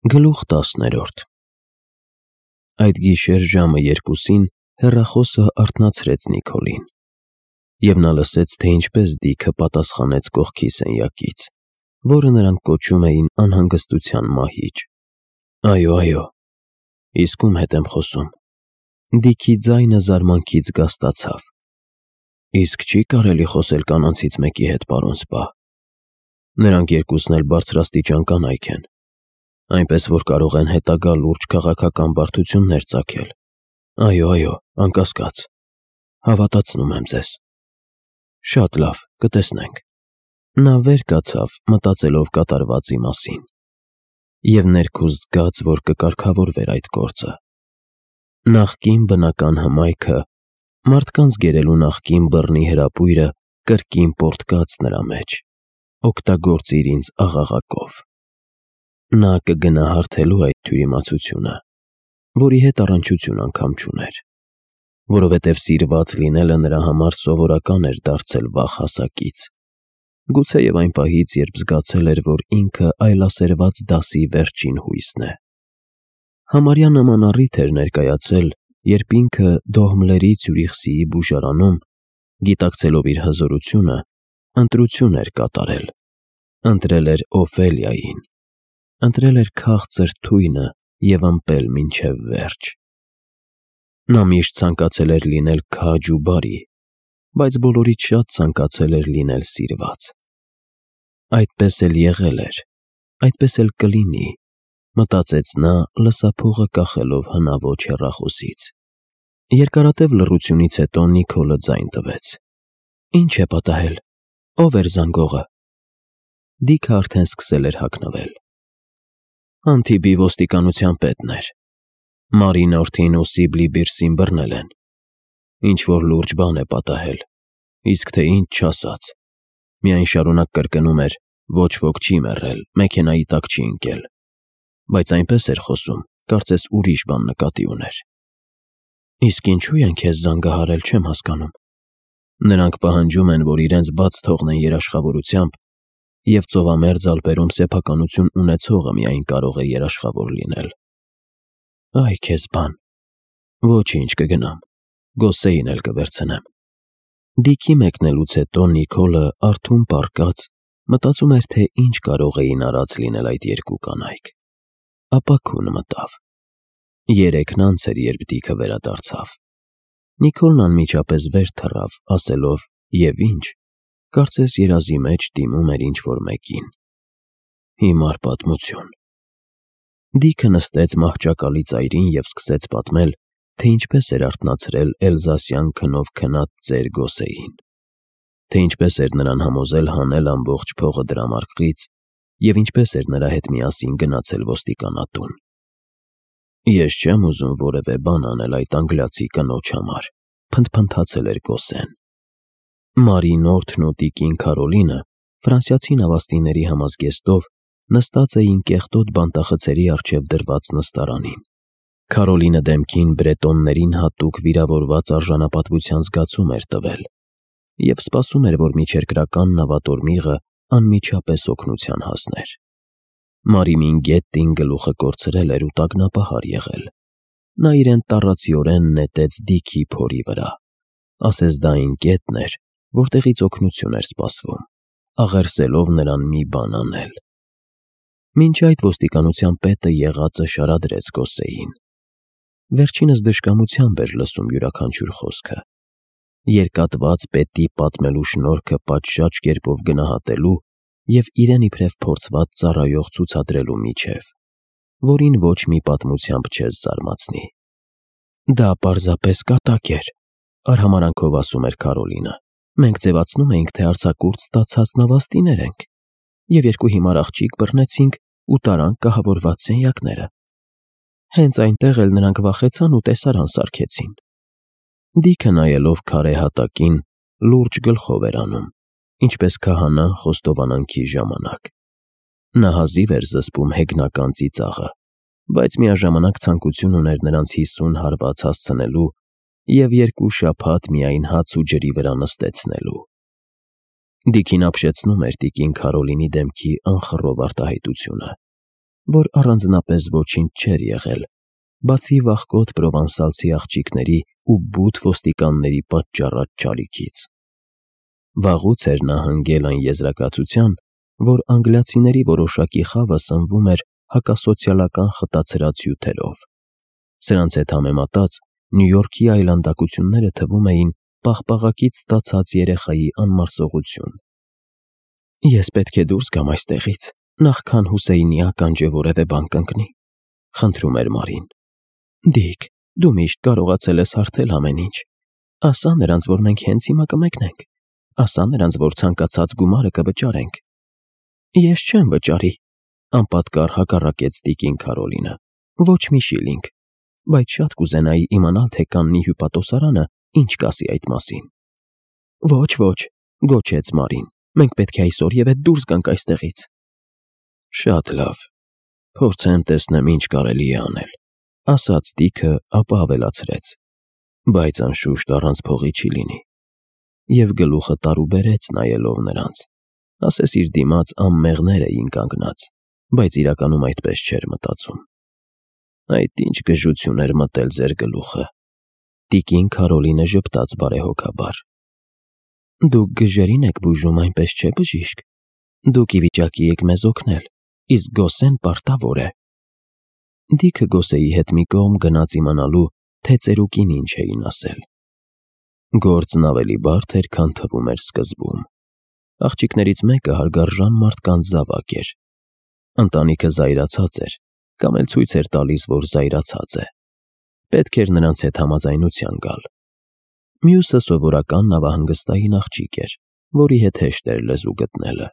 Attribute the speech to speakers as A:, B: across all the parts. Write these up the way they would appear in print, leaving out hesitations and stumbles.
A: Գլուխ 10 Այդ գիշեր ժամը 2-ին հեռախոսը արթնացրեց Նիքոլին, և նա լսեց, թե ինչպես Դիքը պատասխանեց կողքի սենյակից, որը նրանք կոչում էին անհանգստության մահիճ։ Այո, իսկ ում հետ եմ խոսում։ Դիքի ձայնը զարմանքից գաստացավ։ Իսկ չի կարելի խոսել կանանցից մեկի հետ, պարոն Սպա։ Նրանք երկուսն էլ բարձրաստիճան կանայք են, այնպես որ կարող են հետագա լուրջ քաղաքական բարդություններ ծագել։ Այո, անկասկած, հավատացնում եմ ձեզ։ Շատ լավ, կտեսնենք։ Նա վեր կացավ, մտածելով կատարվածի մասին, և ներքուստ զգաց, որ կկարգավորվեր այդ գործը։ Նախկին բնական հմայքը, մարդկանց գերելու նախկին բռնի հրապույրը կրկին պոռթկաց նրա մեջ, օգտագործիր ինձ աղաղակով։ Նա կգնա հարթելու այդ թյուրիմացությունը, որի հետ առնչություն անգամ չուներ, որովհետև սիրված լինելը նրա համար սովորական էր դարձել վաղ հասակից, գուցեև այն պահից, երբ զգացել էր, որ ինքը այլասերված դասի վերջին հույսն է։ Համարյա նման առիթ էր ներկայացել, երբ ինքը Դոհմլերի Ցյուրիխսիի բուժարանում, գիտակցելով իր հզորությունը, ընտրություն էր կատարել, ընտրել էր Օֆելիային, ընտրել էր քաղցր թույնը և ըմպել մինչև վերջ։ Նա միշտ ցանկացել էր լինել քաջ ու բարի, բայց բոլորից շատ ցանկացել էր լինել սիրված։ Այդպես էլ եղել էր, այդպես էլ կլինի, մտածեց նա, լսափողը կախելով հնաոճ հեռախոսից։ Երկարատև լռությունից հետո Նիքոլը ձայն տվեց։ Ինչ է պատահել, ով էր զանգողը։ Դիքը արդեն սկսել էր հագնվել։ Անտիբի ոստիկանության պետն էր։ Մարինորթին ու Սիբլի Բիրսին բռնել են։ Ինչ-որ լուրջ բան է պատահել, իսկ թե ինչ չասաց։ Միայն շարունակ կրկնում էր. ոչ ոք չի մեռել, մեքենայի տակ չի ընկել, բայց այնպես էր խոսում, կարծես ուրիշ բան նկատի ուներ։ Իսկ ինչու են քեզ զանգահարել, չեմ հասկանում։ Նրանք պահանջում են, որ իրենց բաց թողնեն երաշխավորությամբ, և ծովամերձ ալպերում սեփականություն ունեցողը միայն կարող է երաշխավոր լինել։ Այ քեզ բան։ Ոչինչ, կգնամ, Գոսեին էլ կվերցնեմ։ Դիքի մեկնելուց հետո Նիքոլը արթուն պառկած մտածում էր, թե ինչ կարող էին արած լինել այդ երկու կանայք։ Ապա քուն մտավ։ Երեքն անց էր, երբ Դիքը վերադարձավ։ Նիքոլն անմիջապես վեր թռավ, ասելով. «Եվ ինչ», կարծես երազի մեջ դիմում էր ինչ-որ մեկին։ Հիմար պատմություն։ Դիքը նստեց մահճակալի ծայրին և սկսեց պատմել, թե ինչպես էր արթնացրել էլզասյան քնով քնած ծեր Գոսեին, թե ինչպես էր նրան համոզել հանել ամբողջ փողը դրամարկղից և ինչպես էր նրա հետ միասին գնացել ոստիկանատուն։ Ես չեմ ուզում որևէ բան անել այդ անգլիացի կնոջ համար, փնթփնթացել էր Գոսեն։ Մարինորթն ու տիկին Քարոլինը ֆրանսիացի նավաստիների համազգեստով նստած էին կեղտոտ բանտախցերի առջև դրված նստարանին։ Քարոլինը դեմքին բրետոններին հատուկ վիրավորված արժանապատվության զգացում էր տվել և սպասում էր, որ միջերկրական նավատորմիղը անմիջապես օգնության հասներ։ Մարիմին Գետտին գլուխը կորցրել էր ու տագնապահար եղել։ Նա իրեն տառացիորեն նետեց Դիքի փորի վրա, ասես դա այն կետն էր, որտեղից օգնություն էր սպասվում, աղերսելով նրան մի բան անել։ Մինչ այդ ոստիկանության պետը եղածը շարադրեց Գոսեին։ Վերջինս դժկամությամբ էր լսում յուրաքանչյուր խոսքը։ Երկատված պետի պատմելու շնորհքը պատշաճ կերպով գնահատելու և իրեն իբրև փորձված ծառայող ցուցադրելու միջև, որին ոչ մի պատմությամբ չես զարմացնի։ Դա պարզապես կատակ էր, արհամարանքով ասում էր Քարոլինը։ Մենք ձևացնում էինք, թե արձակուրդ ստացած նավաստիներ ենք, և երկու հիմար աղջիկ բռնեցինք ու տարանք կահավորված սենյակները։ Հենց այնտեղ էլ նրանք վախեցան ու տեսարան սարքեցին։ Դիքը նայելով քարե հատակին, լուրջ գլխով էր անում, ինչպես քահանան խոստովանանքի ժամանակ։ Նա հազիվ էր զսպում հեգնական ծիծաղը, բայց միաժամանակ ցանկություն ուներ նրանց 50 հարված հասցնելու և 2 շաբաթ միայն հաց ու ջրի վրա նստեցնելու։ Դիքին ապշեցնում էր տիկին Քարոլինի դեմքի անխռով արտահայտությունը։ որ առանձնապես ոչինչ չէր եղել, բացի վախկոտ պրովանսալցի աղջիկների ու բութ ոստիկանների պատճառած չարիքից։ Վաղուց էր նա հնգել այն եզրակացության, որ անգլիացիների որոշակի խավը սնվում էր հակասոցիալական խտացրած հյութերով։ Սրանց հետ համեմատած Նյու Յորքի այլանդակությունները թվում էին պաղպաղակից ստացած երեխայի անմարսողություն։ «Ես պետք է դուրս գամ այստեղից, նախքան Հուսեյնի ականջը որևէ բան կընկնի», խնդրում էր Մարին։ «Դիկ, դու միշտ կարողացել ես հարթել ամեն ինչ։ Ասա նրանց, որ մենք հենց հիմա կմեկնենք։ Ասա նրանց, որ ցանկացած գումարը կվճարենք»։ «Ես չեմ վճարի», անպատկառ հակառակեց տիկին Քարոլինը։ «Ոչ մի շիլինգ, բայց շատ կուզենայի իմանալ, թե Կաննի հյուպատոսարանը ինչ կասի այդ մասին»։ «Ոչ», գոչեց Մարին, «մենք պետք է այսօր և հետ դուրս գանք այստեղից»։ «Շատ լավ, փորձեմ տեսնեմ ինչ կարելի է անել», ասաց Դիքը, ապա ավելացրեց. «Բայց անշուշտ առանց փողի չի լինի»։ Եվ գլուխը տարուբերեց նայելով նրանց, ասես իր դիմաց անմեղներ էին կանգնած, բայց իրականում այդպես չէր մտածում։ «Այդ ինչ գժություն էր մտել ձեր գլուխը»։ Տիկին Քարոլինը ժպտաց բարեհոգաբար։ «Դուք գժերին եք բուժում, այնպես չէ, բժիշկ։ Դուք ի վիճակի եք մեզ օգնել, իսկ Գոսեն պարտավոր է»։ Դիքը Գոսեի հետ մի կողմ գնաց իմանալու, թե ծերուկին ինչ էին ասել։ Գործն ավելի բարդ էր, քան թվում էր սկզբում։ Աղջիկներից մեկը հարգարժան մարդկանց զավակ էր։ Ընտանիքը զայրացած էր, կամ էլ ցույց էր տալիս, որ զայրացած է։ Պետք էր նրանց հետ համաձայնության գալ։ Մյուսը սովորական նավահանգստային աղջիկ էր, որի հետ հեշտ էր լեզու գտնելը։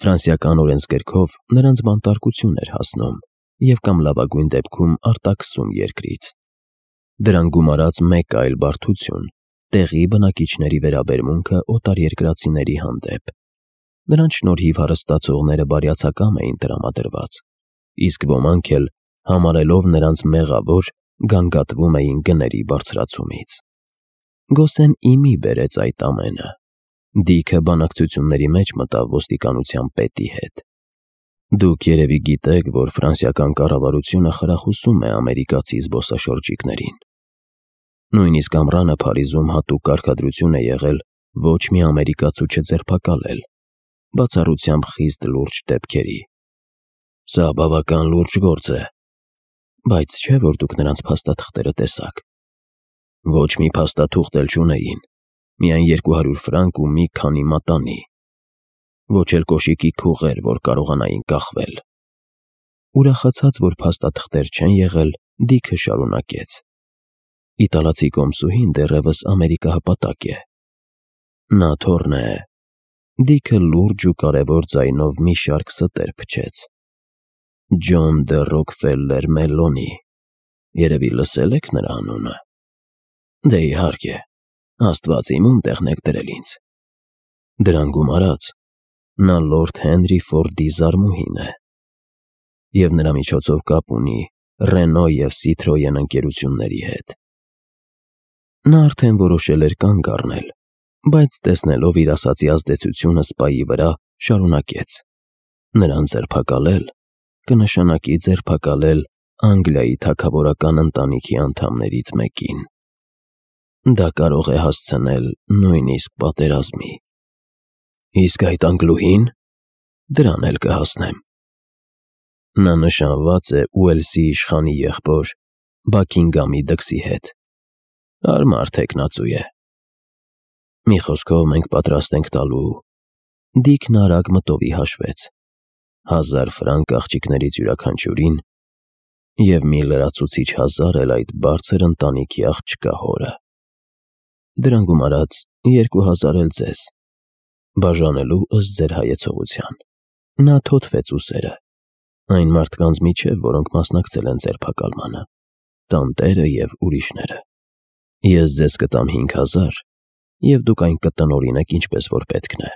A: Ֆրանսիական օրենսգրքով նրանց բանտարկություն էր հասնում և կամ լավագույն դեպքում արտաքսում երկրից։ Դրան գումարած մեկ այլ բարդություն՝ տեղի բնակիչների վերաբերմունքը օտարերկրացիների հանդեպ։ Նրանց շնորհիվ հարստացողները բարյացակամ էին տրամադրված, իսկ ոմանք էլ, համարելով նրանց մեղավոր, գանգատվում էին գների բարձրացումից։ Գոսեն իմի բերեց այդ ամենը։ Դիքը բանակցությունների մեջ մտավ ոստիկանության պետի հետ։ «Դուք երևի գիտեք, որ ֆրանսիական կառավարությունը խրախուսում է ամերիկացի զբոսաշրջիկներին։ Նույնիսկ ամռանը Փարիզում հատուկ կարգադրություն է եղել ոչ մի ամերիկացու չձերբակալել, բացառությամբ խիստ լուրջ դեպքերի։ Սա բավական լուրջ գործ է։ Բայց չէ՞ որ դուք նրանց փաստաթղթերը տեսաք»։ «Ոչ մի փաստաթուղթ էլ չունեին, միայն 200 ֆրանկ ու մի քանի մատանի։ Ոչ էլ կոշիկի քուղեր, որ կարողանային կախվել»։ Ուրախացած, որ փաստաթղթեր չեն եղել, Դիքը շարունակեց. «Իտալացի կոմսուհին դեռևս ամերիկահպատակ է։ Նա թոռն է»։ Դիքը լուրջ ու կարևոր ձայնով մի շարք ստեր փչեց։ «Ջոն դը Ռոքֆելլեր Մելոնի։ Երևի լսել եք նրա անունը։ Դե իհարկե, Աստված իմ ում տեղն եք դրել ինձ։ Դրան գումարած, նա լորդ Հենրի Ֆորդի զարմուհին է և նրա միջոցով կապ ունի Ռենո և Սիթրոեն ընկերությունների հետ»։ Նա արդեն որոշել էր կանգ առնել, բայց տեսնելով իր ասացի ազդեցությունը սպայի վրա, շարունակեց. «Նրան ձերբակալել կնշանակի ձերբակալել Անգլիայի թագավորական ընտանիքի անդամներից մեկին։ Դա կարող է հասցնել նույնիսկ պատերազմի»։ «Իսկ այդ անգլուհի՞ն»։ «Դրան էլ կհասնեմ։ Նա նշանված է Ուելսի իշխանի եղբոր Բաքինգամի դքսի հետ։ Հարմար թեկնածու է։ Մի խոսքով, մենք պատրաստ ենք տալու»։ Դիքն արագ մտովի հաշվեց. 1000 ֆրանկ աղջիկներից յուրաքանչյուրին և մի լրացուցիչ 1000 էլ այդ բարձր ընտանիքի աղջկա հորը։ Դրան գումարած 2000 էլ ձեզ, բաժանելու ըստ ձեր հայեցողության։ Նա թոթվեց ուսերը։ «Այն մարդկանց միջև, որոնք մասնակցել են ձերբակալմանը, տանտերը և ուրիշները։ Ես ձեզ կտամ 5000 և դուք այն կտնօրինեք ինչպես որ պետքն է։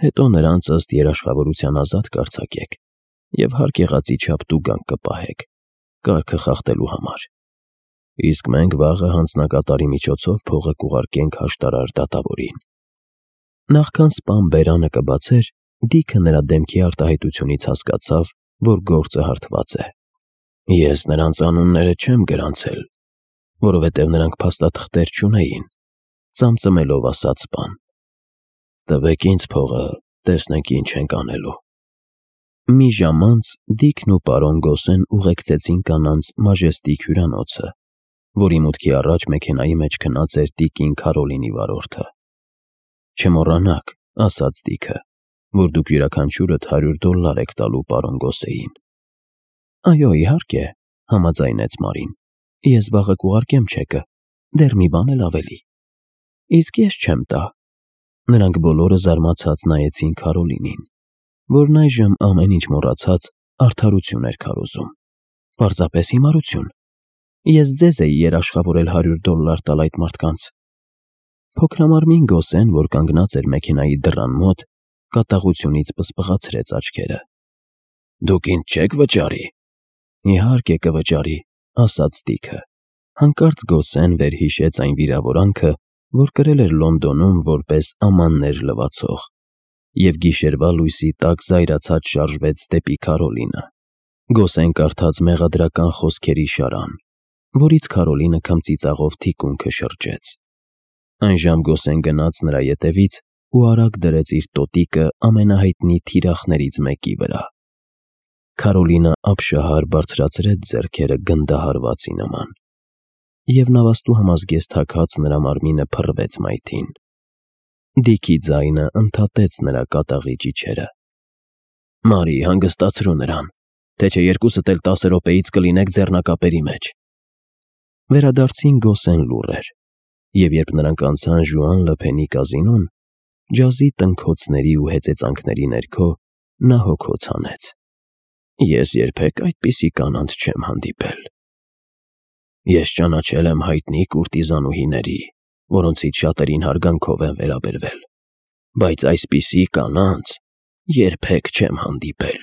A: Հետո նրանց ըստ երաշխավորության ազատ կարձակեք և հարկ եղածի չափ տուգանք կպահեք, կարգը խախտելու համար։ Իսկ մենք վաղը հանձնակատարի միջոցով փողը կուղարկենք հաշտարար դատավորին»։ Նախքան սպան բերանը կբացեր, Դիքը նրա դեմքի արտահայտությունից հասկացավ, որ գործը հարթված է։ Ես նրանց անունները չեմ գրանցել, որովհետև նրանք փաստաթղթեր չունեին, ծամծմելով ասաց բան։ Տվեք ինձ փողը, տեսնենք ինչ ենք անելու։ Մի ժամ անց Դիքն ու պարոն Գոսեն ուղեկցեցին կանանց Մաժեստիկ հյուրանոցը, որի մուտքի առաջ մեքենայի մեջ քնած էր տիկին Քարոլինի վարորդը։ Չմոռանաք, ասաց Դիքը, որ դուք յուրաքանչյուրդ $100 եք տալու պարոն Գոսեին։ Այո, իհարկե, համաձայնեց Մարին։ Ես վաղը կուղարկեմ չեկը, դեռ մի բան էլ ավելի։ Իսկ ես չեմ տա։ Նրանք բոլորը զարմացած նայեցին Քարոլինին, որն այժմ ամեն ինչ մոռացած արդարություն էր քարոզում։ Պարզապես հիմարություն։ Ես ձեզ էի երաշխավորել $100 տալ այդ մարդկանց։ Փոքրամարմին Գոսեն, որ կանգնած էր մեքենայի դռան մոտ, կատաղությունից պսպղացրեց աչքերը։ Դուք ինձ չեք վճարի։ Իհարկե կվճարի, ասաց Դիքը։ Հանկարծ Գոսեն վերհիշեց այն վիրավորանքը, որ կրել էր Լոնդոնում որպես ամաններ լվացող, և գիշերվա լույսի տակ զայրացած շարժվեց դեպի Քարոլինը։ Գոսեն կարդաց մեղադրական խոսքերի շարան, որից Քարոլինը քմծիծաղով թիկունքը շրջեց։ Այնժամ Գոսեն գնաց նրա ետևից ու արագ դրեց իր տոտիկը ամենահայտնի թիրախներից մեկի վրա։ Քարոլինը ապշահար բարձրացրեց ձեռքերը գնդահարվածի նման, և նավաստու համազգեստ թաքած նրա մարմինը փռվեց մայթին։ Դիքի ձայնը ընդհատեց նրա կատաղի ճիչերը։ Մարի, հանգստացրու նրան, թե չէ երկուսդ էլ 10 րոպեից կլինեք ձեռնակապերի մեջ։ Վերադարձին Գոսեն լուռ էր, և երբ նրանք անցան Ժուան Լըփենի կազինոն, ջազի տնքոցների ու հեծեծանքների ներքո նա հոգոց հանեց։ Ես երբեք այդպիսի կանանց չեմ հանդիպել։ Ես ճանաչել եմ հայտնի կուրտիզանուհիների, որոնցից շատերին հարգանքով եմ վերաբերվել, բայց այսպիսի կանանց երբեք չեմ հանդիպել։